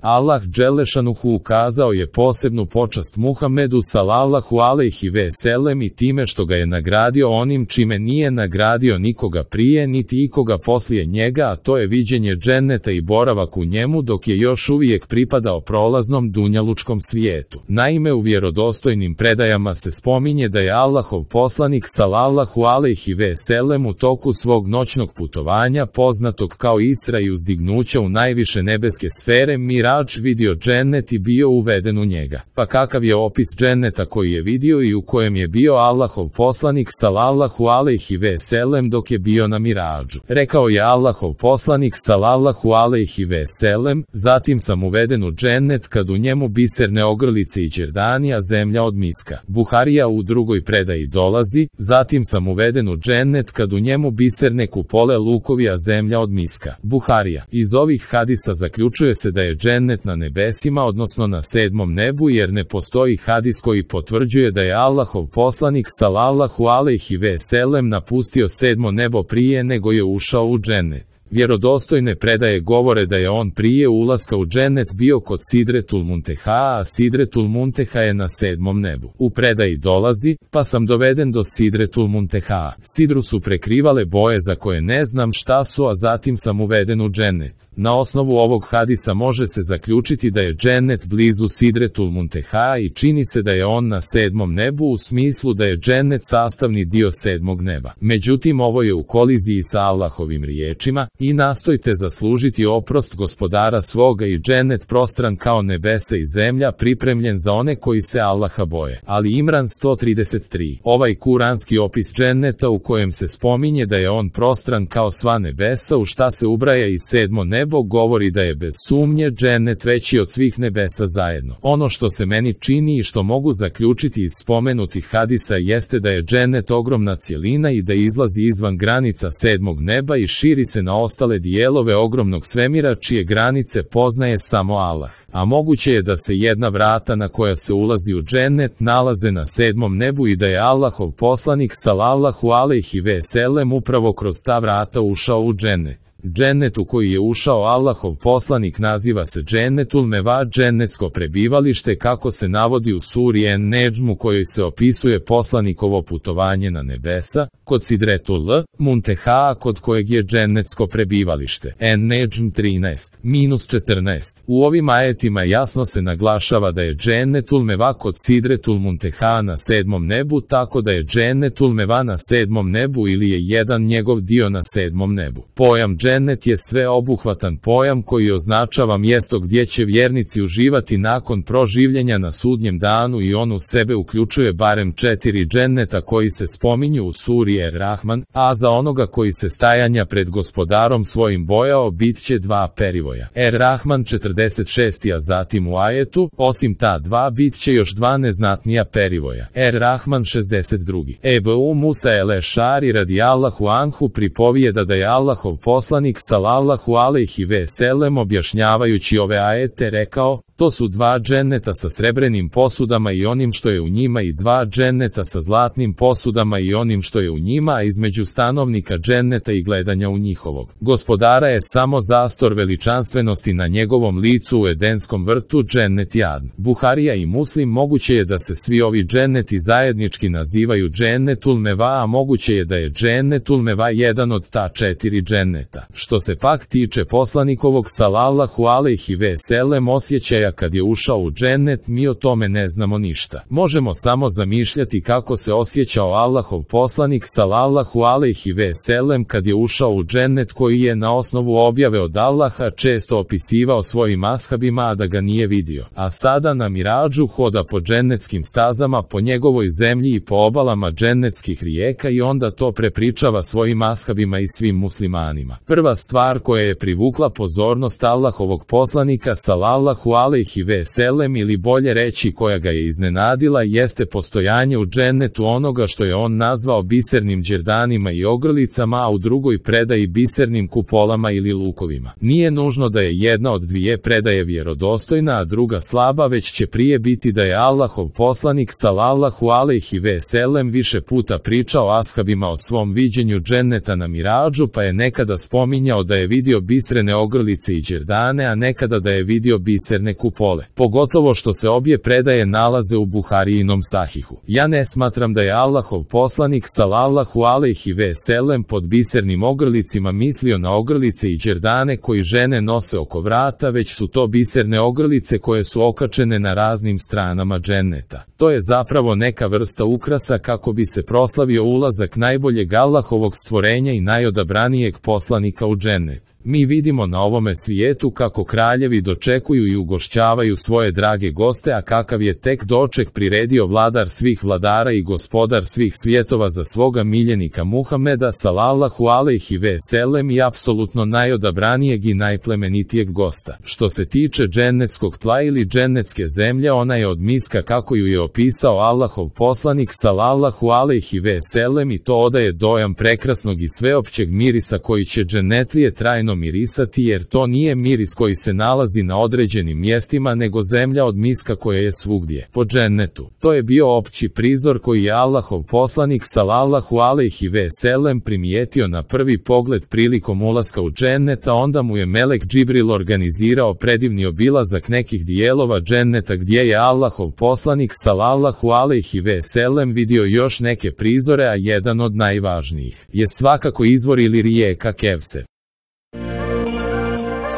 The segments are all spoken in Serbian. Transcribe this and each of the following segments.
Allah dželešanuhu ukazao je posebnu počast Muhammedu sallallahu alejhi ve sellem i time što ga je nagradio onim čime nije nagradio nikoga prije niti ikoga poslije njega, a to je viđenje dženneta i boravak u njemu dok je još uvijek pripadao prolaznom dunjalučkom svijetu. Naime, u vjerodostojnim predajama se spominje da je Allahov poslanik sallallahu alejhi ve sellem u toku svog noćnog putovanja poznatog kao Isra i uzdignuća u najviše nebeske sfere Mirač vidio džennet i bio uveden u njega. Pa kakav je opis dženneta koji je vidio i u kojem je bio Allahov poslanik sallallahu alejhi ve sellem dok je bio na Mirađu? Rekao je Allahov poslanik sallallahu alejhi ve sellem: zatim sam uveden u džennet kad u njemu biserne ogrlice i đerdani, a zemlja od miska. Buharija u drugoj predaji dolazi: zatim sam uveden u džennet kad u njemu biserne kupole lukovi, a zemlja od miska. Buharija. Iz ovih hadisa zaključuje se da je džennet na nebesima, odnosno na 7. nebu, jer ne postoji hadis koji potvrđuje da je Allahov poslanik sallallahu alejhi ve sellem napustio 7. nebo prije nego je ušao u džennet. Vjerodostojne predaje govore da je on prije ulaska u džennet bio kod Sidretul Munteha, a Sidretul Munteha je na 7. nebu. U predaji dolazi: pa sam doveden do Sidretul Munteha. Sidru su prekrivale boje za koje ne znam šta su, a zatim sam uveden u džennet. Na osnovu ovog hadisa može se zaključiti da je džennet blizu Sidretul Munteha i čini se da je on na 7. nebu u smislu da je džennet sastavni dio 7. neba. Međutim, ovo je u koliziji sa Allahovim riječima: i nastojte zaslužiti oprost gospodara svoga i džennet prostran kao nebesa i zemlja, pripremljen za one koji se Allaha boje. Ali Imran 133. Ovaj kuranski opis dženneta u kojem se spominje da je on prostran kao sva nebesa, u šta se ubraja i 7. nebo, govori da je bez sumnje džennet veći od svih nebesa zajedno. Ono što se meni čini i što mogu zaključiti iz spomenutih hadisa jeste da je džennet ogromna cjelina i da izlazi izvan granica 7. neba i širi se na ostale dijelove ogromnog svemira čije granice poznaje samo Allah. A moguće je da se jedna vrata na koja se ulazi u džennet nalaze na 7. nebu i da je Allahov poslanik sallallahu alejhi ve sellem upravo kroz ta vrata ušao u džennet. Džennet u koji je ušao Allahov poslanik naziva se Džennetul Meva, džennetsko prebivalište, kako se navodi u suri En-Nedžm u kojoj se opisuje poslanikovo putovanje na nebesa, kod Sidretul Munteha, kod kojeg je džennetsko prebivalište. En-Nedžm 13-14. U ovim ajetima jasno se naglašava da je Džennetul Meva kod Sidretul Munteha na 7. nebu, tako da je Džennetul Meva na 7. nebu ili je jedan njegov dio na 7. nebu. Pojam džennet je sveobuhvatan pojam koji označava mjesto gdje će vjernici uživati nakon proživljenja na sudnjem danu i on u sebe uključuje barem 4 dženneta koji se spominju u suri Er-Rahman, a za onoga koji se stajanja pred gospodarom svojim bojao bit će 2 perivoja. Er-Rahman 46. a zatim u ajetu: osim ta 2 bit će još 2 neznatnija perivoja. Er-Rahman 62. Ebu Musa el-Ešari radijallahu anhu pripovijeda da je Allahov poslanik sallallahu alejhi ve sellem objašnjavajući ove ajete rekao: to su 2 dženneta sa srebrenim posudama i onim što je u njima i 2 dženneta sa zlatnim posudama i onim što je u njima, a između stanovnika dženneta i gledanja u njihovog gospodara je samo zastor veličanstvenosti na njegovom licu u Edenskom vrtu, džennet Jadn. Buharija i Muslim. Moguće je da se svi ovi dženneti zajednički nazivaju Džennetul Meva, a moguće je da je Džennetul Meva jedan od ta 4 dženneta. Što se pak tiče poslanikovog sallallahu alejhi ve sellem osjećaja kad je ušao u džennet, mi o tome ne znamo ništa. Možemo samo zamišljati kako se osjećao Allahov poslanik sallallahu alejhi ve sellem kad je ušao u džennet koji je na osnovu objave od Allaha često opisivao svojim ashabima, a da ga nije vidio. A sada na Mirađu hoda po džennetskim stazama, po njegovoj zemlji i po obalama džennetskih rijeka i onda to prepričava svojim ashabima i svim muslimanima. Prva stvar koja je privukla pozornost Allahovog poslanika sallallahu alejhi alejhi ve sellem, ili bolje reći koja ga je iznenadila, jeste postojanje u džennetu onoga što je on nazvao bisernim đerdanima i ogrlicama, a u drugoj predaji bisernim kupolama ili lukovima. Nije nužno da je jedna od dvije predaje vjerodostojna, a druga slaba, već će prije biti da je Allahov poslanik salallahu alejhi ve sellem više puta pričao ashabima o svom viđenju dženneta na Miradžu, pa je nekada spominjao da je vidio bisrene ogrlice i đerdane, a nekada da je vidio biserne kupole. Pogotovo što se obje predaje nalaze u Buharijinom sahihu. Ja ne smatram da je Allahov poslanik salallahu alejhi ve sellem pod bisernim ogrlicima mislio na ogrlice i đerdane koji žene nose oko vrata, već su to biserne ogrlice koje su okačene na raznim stranama dženneta. To je zapravo neka vrsta ukrasa kako bi se proslavio ulazak najboljeg Allahovog stvorenja i najodabranijeg poslanika u džennet. Mi vidimo na ovome svijetu kako kraljevi dočekuju i ugošćavaju svoje drage goste, a kakav je tek doček priredio vladar svih vladara i gospodar svih svjetova za svoga miljenika Muhameda salallahu alejhi ve sellem i apsolutno najodabranijeg i najplemenitijeg gosta. Što se tiče džennetskog tla ili džennetske zemlje, ona je od miska kako ju je opisao Allahov poslanik salallahu alejhi ve sellem, i to odaje dojam prekrasnog i sveopćeg mirisa koji će džennetlije trajno mirisati, jer to nije miris koji se nalazi na određenim mjestima, nego zemlja od miska koja je svugdje po džennetu. To je bio opći prizor koji je Allahov poslanik salallahu alejhi ve sellem primijetio na prvi pogled prilikom ulaska u džennet, a onda mu je melek Džibril organizirao predivni obilazak nekih dijelova dženneta gdje je Allahov poslanik salallahu alejhi ve sellem vidio još neke prizore, a jedan od najvažnijih je svakako izvor ili rijeka Kevser.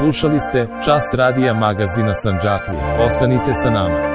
Slušali ste Čas radija magazina Sandžaklije. Ostanite sa nama.